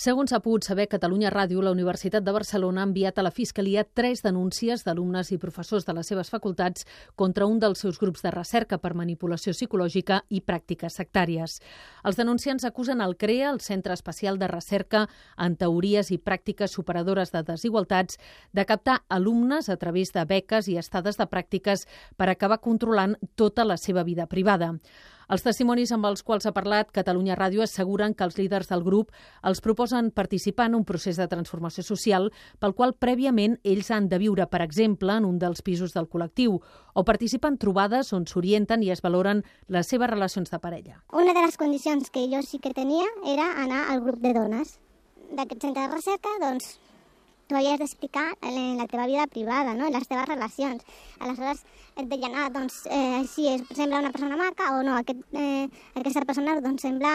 Segons ha pogut saber Catalunya Ràdio, la Universitat de Barcelona ha enviat a la Fiscalia 3 denúncies d'alumnes i professors de les seves facultats contra un dels seus grups de recerca per manipulació psicològica i pràctiques sectàries. Els denunciants acusen el CREA, el Centre Especial de Recerca en Teories i Pràctiques Superadores de Desigualtats, de captar alumnes a través de beques i estades de pràctiques per acabar controlant tota la seva vida privada. Els testimonis amb els quals ha parlat Catalunya Ràdio asseguren que els líders del grup els proposen participar en un procés de transformació social pel qual prèviament ells han de viure, per exemple, en un dels pisos del col·lectiu o participar en trobades on s'orienten i es valoren les seves relacions de parella. Una de les condicions que jo sí que tenia era anar al grup de dones d'aquest centre de recerca, doncs tu havies d'explicar la teva vida privada, no? Les teves relacions. Aleshores et deien, si sembla una persona maca o no, aquesta persona doncs sembla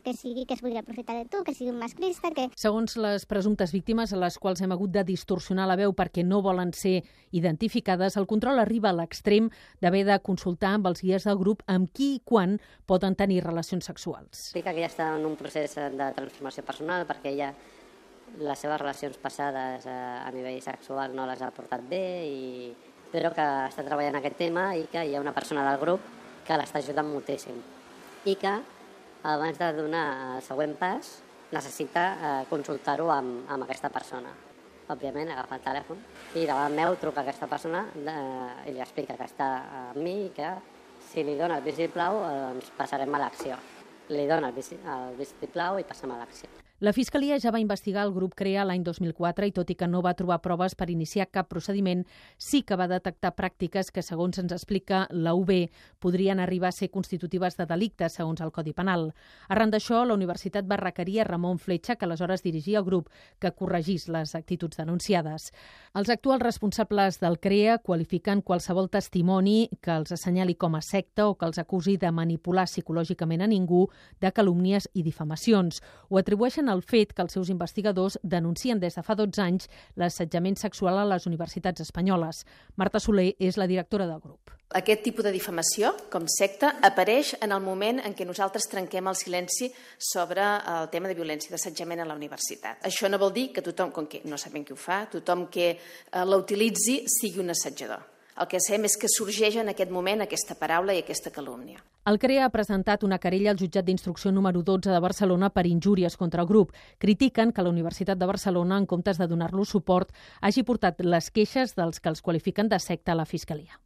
que es podria aprofitar de tu, que sigui un masclista. Segons les presumptes víctimes, a les quals hem hagut de distorsionar la veu perquè no volen ser identificades, el control arriba a l'extrem d'haver de consultar amb els guies del grup amb qui i quan poden tenir relacions sexuals. Explica que ja està en un procés de transformació personal perquè ella les seves relacions passades a nivell sexual no les ha portat bé, però que està treballant aquest tema i que hi ha una persona del grup que l'està ajudant moltíssim i que abans de donar el següent pas necessita consultar-ho amb aquesta persona. Òbviament agafa el telèfon i davant meu truca aquesta persona i li explica que està amb mi i que si li dona el vistiplau doncs passarem a l'acció. Li dona el vistiplau i passem a l'acció. La Fiscalia ja va investigar el grup CREA l'any 2004 i, tot i que no va trobar proves per iniciar cap procediment, sí que va detectar pràctiques que, segons ens explica la UB, podrien arribar a ser constitutives de delicte, segons el Codi Penal. Arran d'això, la universitat va requerir a Ramon Fletxa, que aleshores dirigia el grup, que corregís les actituds denunciades. Els actuals responsables del CREA qualifiquen qualsevol testimoni que els assenyali com a secta o que els acusi de manipular psicològicament a ningú, de calúmnies i difamacions. Ho atribueixen al fet que els seus investigadors denuncien des de fa 12 anys l'assetjament sexual a les universitats espanyoles. Marta Soler és la directora del grup. Aquest tipus de difamació, com secta, apareix en el moment en què nosaltres trenquem el silenci sobre el tema de violència d'assetjament a la universitat. Això no vol dir que tothom, com que no sabem qui ho fa, tothom que la utilitzi sigui un assetjador. El que sabem és que sorgeix en aquest moment aquesta paraula i aquesta calúmnia. El CREA ha presentat una querella al jutjat d'instrucció número 12 de Barcelona per injúries contra el grup. Critiquen que la Universitat de Barcelona, en comptes de donar-los suport, hagi portat les queixes dels que els qualifiquen de secta a la Fiscalia.